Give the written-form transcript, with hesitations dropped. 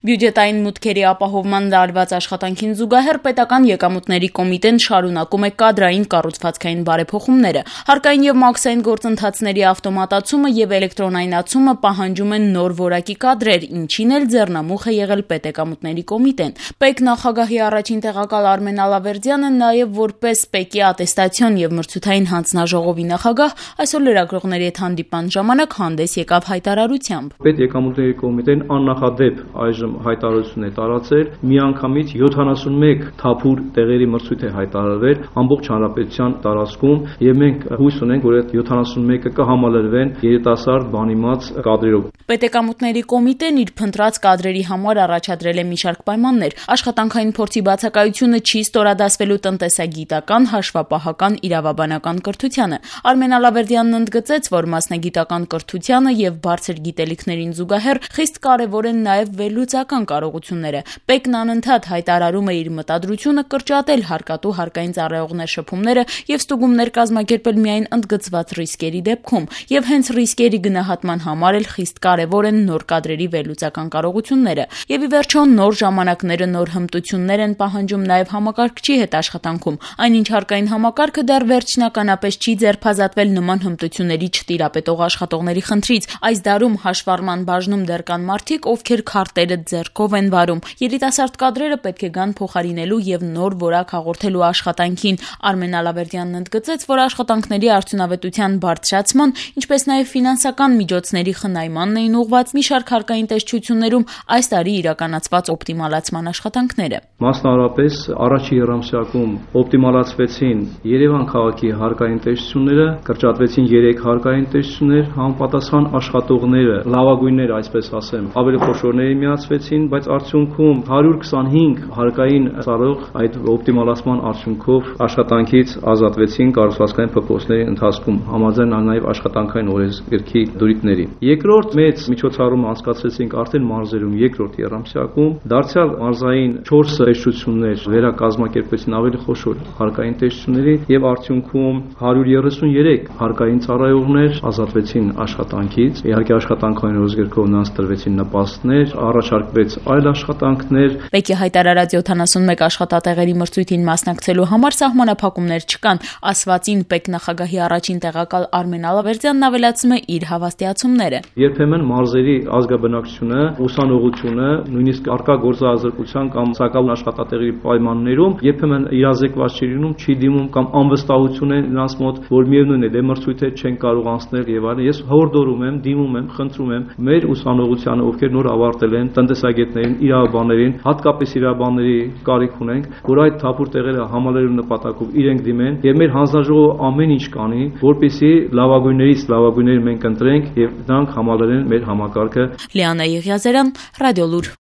Բյուջետային մուտքերի ապահովման դարված աշխատանքին զուգահեռ պետական եկամուտների կոմիտեն շարունակում է կադրային կառուցվածքային բարեփոխումները։ Հարկային եւ մաքսային գործընթացների ավտոմատացումը եւ էլեկտրոնայնացումը պահանջում են նոր որակի կադրեր, ինչին էլ ձեռնամուխ է եղել պետեկամուտների կոմիտեն։ ՊԵԿ նախագահի առաջին տեղակալ Արմեն Ալավերդյանը նաեւ որպես ՊԵԿ-ի ատեստացիոն եւ մրցութային հանձնաժողովի նախագահ այսօր լրագրողների հետ հանդիպման ժամանակ հանդես եկավ հայտարարությամբ։ Պետեկամուտների կոմիտեն աննախադեպ այժմ հայտարարություն է տարածել, միանգամից 71 թափուր տեղերի մրցույթ է հայտարարվել ամբողջ հանրապետության տարածքում եւ մենք հույս ունենք, որ այդ 71-ը կհամալրվեն երիտասարդ բանիմաց կադրերով։ Պետեկամուտների կոմիտեն իր փնտրած կադրերի համար առաջադրել է մի շարք պայմաններ։ Աշխատանքային փորձի բացակայությունը չի ստորադասվելու տնտեսագիտական, հաշվապահական, իրավաբանական կրթությանը։ Արմեն Ալավերդյանն ընդգծեց, որ մասնագիտական կրթությանը եւ բարձր գիտելիքներին զուգահեռ խիստ կարեւոր են նաեւ վերլուծական կարողությունները։ ՊԵԿ-ն անընդհատ հայտարարում է իր մտադրությունը կրճատել հարկատու հարկային ծառայողներ շփումները եւ ստուգումներ կազմակերպել միայն ընդգծված ռիսկերի դեպքում։ Եվ հենց ռիսկերի գնահատման համար էլ խիստ կարեւոր են նոր կադրերի վերլուծական կարողությունները։ Եվ ի վերջո նոր ժամանակները նոր հմտություններ են պահանջում նաեւ համակարգչի հետ աշխատանքում։ Այնինչ հարկային համակարգը դեռ վերջնականապես չի ձերբազատվել նման հմտությունների չտիրապետող աշխատողների խնդրից։ Այս դարում հաշվառման բաժնում դեռ կան մարդիկ, ովքեր քարտերը ձեռքով են վարում։ Երիտասարդ կադրերը պետք է գան փոխարինելու եւ նոր որակ հաղորդելու աշխատանքին։ Արմեն Ալավերդյանն ընդգծեց, որ աշխատանքների արդյունավետության բարձրացման, ինչպես նաեւ ֆինանսական միջոցների խնայմանն էին ուղղված մի շարք հարկային տեսչություններում այս տարի իրականացված օպտիմալացման աշխատանքները։ Մասնավորապես առաջի երամսյակում օպտիմալացվեցին Երևան քաղաքի հարկային տեսչությունները, կրճատվեցին 3 հարկային տեսչություններ, համապատասխան աշխատողները, լավագույնները, այսպես ասեմ, ավելի խոշորների միացվեցին, բայց արդյունքում 125 հարկային ծառայող այդ օպտիմալացման արդյունքով աշխատանքից ազատվեցին կառուցվածքային փոփոխությունների ընթացքում, համաձայն նաև աշխատանքային օրենսգրքի դրույթների։ Երկրորդ մեծ միջոցառումը անցկացրեցինք արդեն մարզերում երկրորդ երամսյակում, դարձյալ մարզային 4 տեսչություններ վերակազմակերպեցին ավելի խոշոր հարկային տեսչությունների եւ արդյունքում 133 հարկային ծառայողներ ազատվեցին աշխատանքից։ Իհարկե աշխատանքային օրենսգրքով նրանց տրվեցին նպաստներ, առաջարկվեց այլ աշխատանքներ։ ՊԵԿ-ի հայտարարած 71 աշխատատեղերի մրցույթին մասնակցելու համար սահմանափակումներ չկան, ասվածին ՊԵԿ նախագահի առաջին տեղակալ Արմեն Ալավերդյանն ավելացնում է իր հավաստիացումները։ Երբեմն մարզերի ազգաբնակչությունը, ուսանողությունը, նույնիսկ արկա գործազրկության կամ սակավուն աշխատատեղերի պայմաններում երբեմն իրազեկված չի լինում, չի դիմում կամ անվստահություն է նրանց մոտ, որ միևնույն է, դե մրցույթը չեն կարող անցնել եւ այլն։ Ես հորդորում եմ, դիմում եմ, խնդրում եմ մեր ուսանողությանը, ովքեր նոր ավարտել են, տնտեսագետներին, իրավաբաններին, հատկապես իրավաբանների կարիք ունենք, որ այդ թափուր տեղերը համալրելու նպատակով իրենք դիմեն եւ մեր հանձնաժողովը ամեն ինչ կանի, որպեսզի լավագույններից լավագույնները մենք ընտրենք եւ դրանք համալրեն մեր համակարգը։ Լիանա Եղիազարյան, Ռադիոլուր։